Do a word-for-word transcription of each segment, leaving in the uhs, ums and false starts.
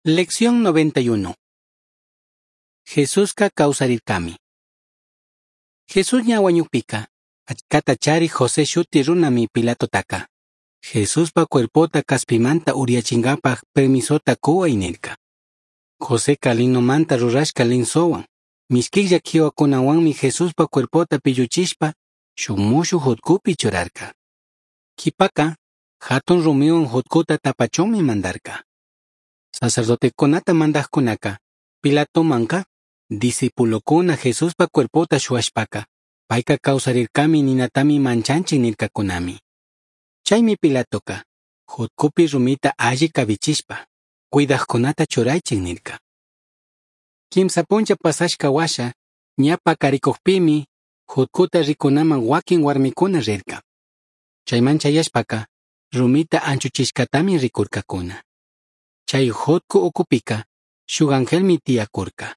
Lección noventa y uno. Jesusca kawsarirkami. Jesús ña wañukpika, achkata chari José shuti runami Pilatotaka. Jesuspa cuerpota kaspimanta uriachinkapak permisota kuway nirka. Joseca linomanta rurashka linsowan, mishkilla kiwakunawanmi Jesuspa cuerpota pilluchishpa shuk mushuj jutkupi churarka. Kipaka, hatun rumiwan jutkuta tapachunmi mandarka. Sacerdotekunata mandajkunaka, Pilatomanka, discipulokuna Jesuspa cuerpota shuwashpaka, payka kawsarirkami ninatami manchanchik nirkakunami. Chaymi Pilatoka, jutkupi rumita alli kavichishpa, cuidajkunata churaychik nirka. Kimsa puncha pasashka washa, ña pakarikukpimi, jutkuta rikunaman wakin warmikuna rirka. Chayman chayashpaka, rumita anchuchishkatami rikurkakuna. Chay jutku ukupika, shuk angelmi tiyakurka.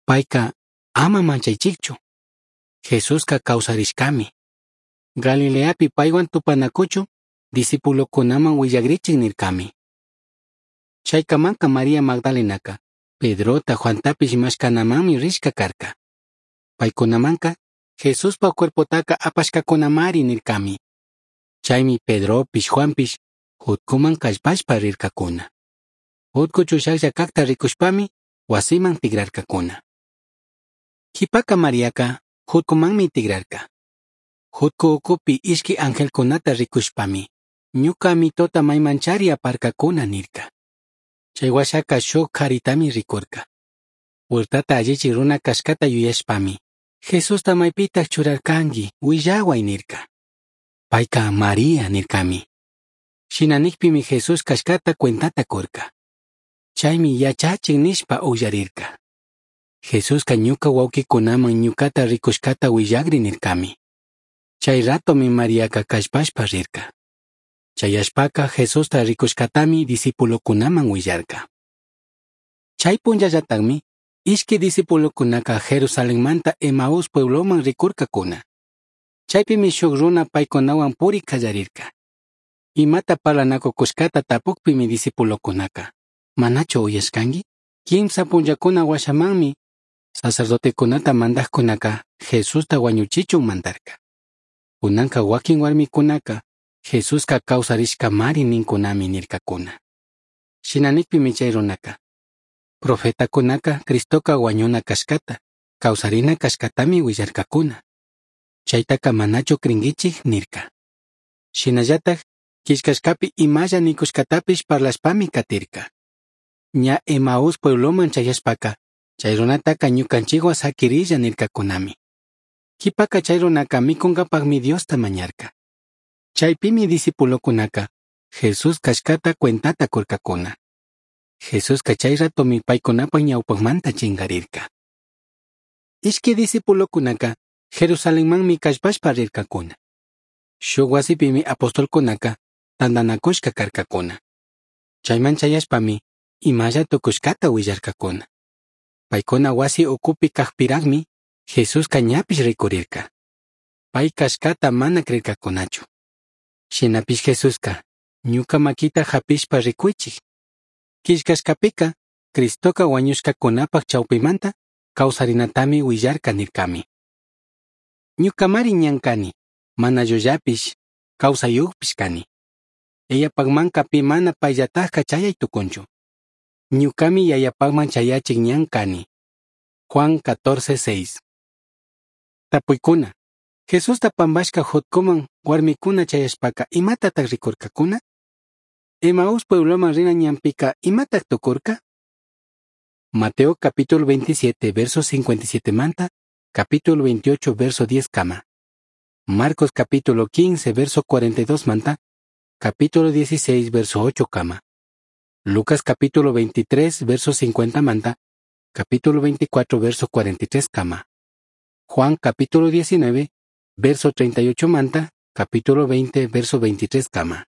Payka, ama manchaychikchu. Jesuska kawsarishkami. Galileapi paywan tupanakuchu, discipulokunaman willagrichik nirkami. Chaykamanka María Magdalenaka, Pedrota Juantapish mashkanamanmi rishka karka. Paykunamanka, Jesuspa cuerpotaka apashkakunamari nirkami. Chaymi Pedropish Juanpish jutkuman kallpashpa rirkakuna. Jutku chushaklla kakta rikushpami wasiman tigrarkakuna. Kipaka Mariaka jutkumanmi tigrarka. Jutku ukupi ishki angelkunata rikushpami, ñuka mitota maymanchari aparkakuna nirka. Chay washaka shuk karitami rikurka. Huertata allichi runa kashkata yuyashpami, Jesusta maypitak churarkanki, willaway nirka. Payka María nirkami. Shina nikpimi Jesús kashkata cuentata kurka. Chaymi yachachik nishpa ullarirka. Jesuska ñuka wawkikunaman ñukata rikushkata willagri nirkami. Chay ratomi Mariaka kallpashpa rirka. Chayashpaka Jesusta rikushkatami discipulokunaman willarka. Chay punllallatakmi, ishki discipulokunaka Jerusalenmanta Emaús puebloman rikurkakuna. Chaypimi shuk runa paykunawan puri kallarirka. Imata parlanakukushkata tapukpimi discipulokunaka, ¿manachu uyashkanki? Kimsa punllakuna washamanmi, sacerdotekunata mandajkunaka Jesusta wañuchichun mandarka. Kunanka wakin warmikunaka Jesuska kawsarishkamari ninkunami nirkakuna. Shina nikpimi chay runaka, profetakunaka Cristoka wañuna kashkata, kawsarina kashkatami willarkakuna. Chaytaka manachu krinkichik nirka. Shinallatak killkashkapi imalla nikushkatapish parlashpami katirka. Ña Emaús puebloman chayashpaka, chay runataka ñukanchikwan sakirilla nirkakunami. Kipaka chay runaka mikunkapakmi Diosta mañarka. Chaypimi discipulokunaka Jesús kashkata cuentata kurkakuna. Jesuska chay ratomi paykunapak ñawpakmanta chinkarirka. Ishki discipulokunaka Jerusalenmanmi kallpashpa rirkakuna. Shuk wasipimi apostolkunaka tantanakushka karkakuna. Chayman chayashpami imalla tukushkata willarkakuna. Paykuna wasi ukupi kakpirakmi Jesuska ñapish rikurirka. Pay kashkata mana krirkakunachu. Shinapish Jesuska, ñuka makita hapishpa rikuychik. Killkashkapika, Cristoka wañushkakunapak chawpimanta kawsarinatami willarka nirkami. Ñukamari ñan kani, mana llullapish, kawsayukpish kani. Yayapakmanka pi mana payllatajka chayay tukunchu. Ñukami yayapakman chayachik ñan kani. Juan catorce seis. Tapuykuna. Jesusta pampashka jutkuman warmikuna chayashpaka imatatak rikurkakuna? Emaús puebloman rina ñanpika imatak tukurka? Mateo capítulo veintisiete verso cincuenta y siete manta, capítulo veintiocho verso diez kama. Marcos capítulo quince verso cuarenta y dos manta, capítulo dieciséis verso ocho kama. Lucas capítulo veintitrés verso cincuenta manta, capítulo veinticuatro verso cuarenta y tres kama. Juan capítulo diecinueve verso treinta y ocho manta, capítulo veinte verso veintitrés kama.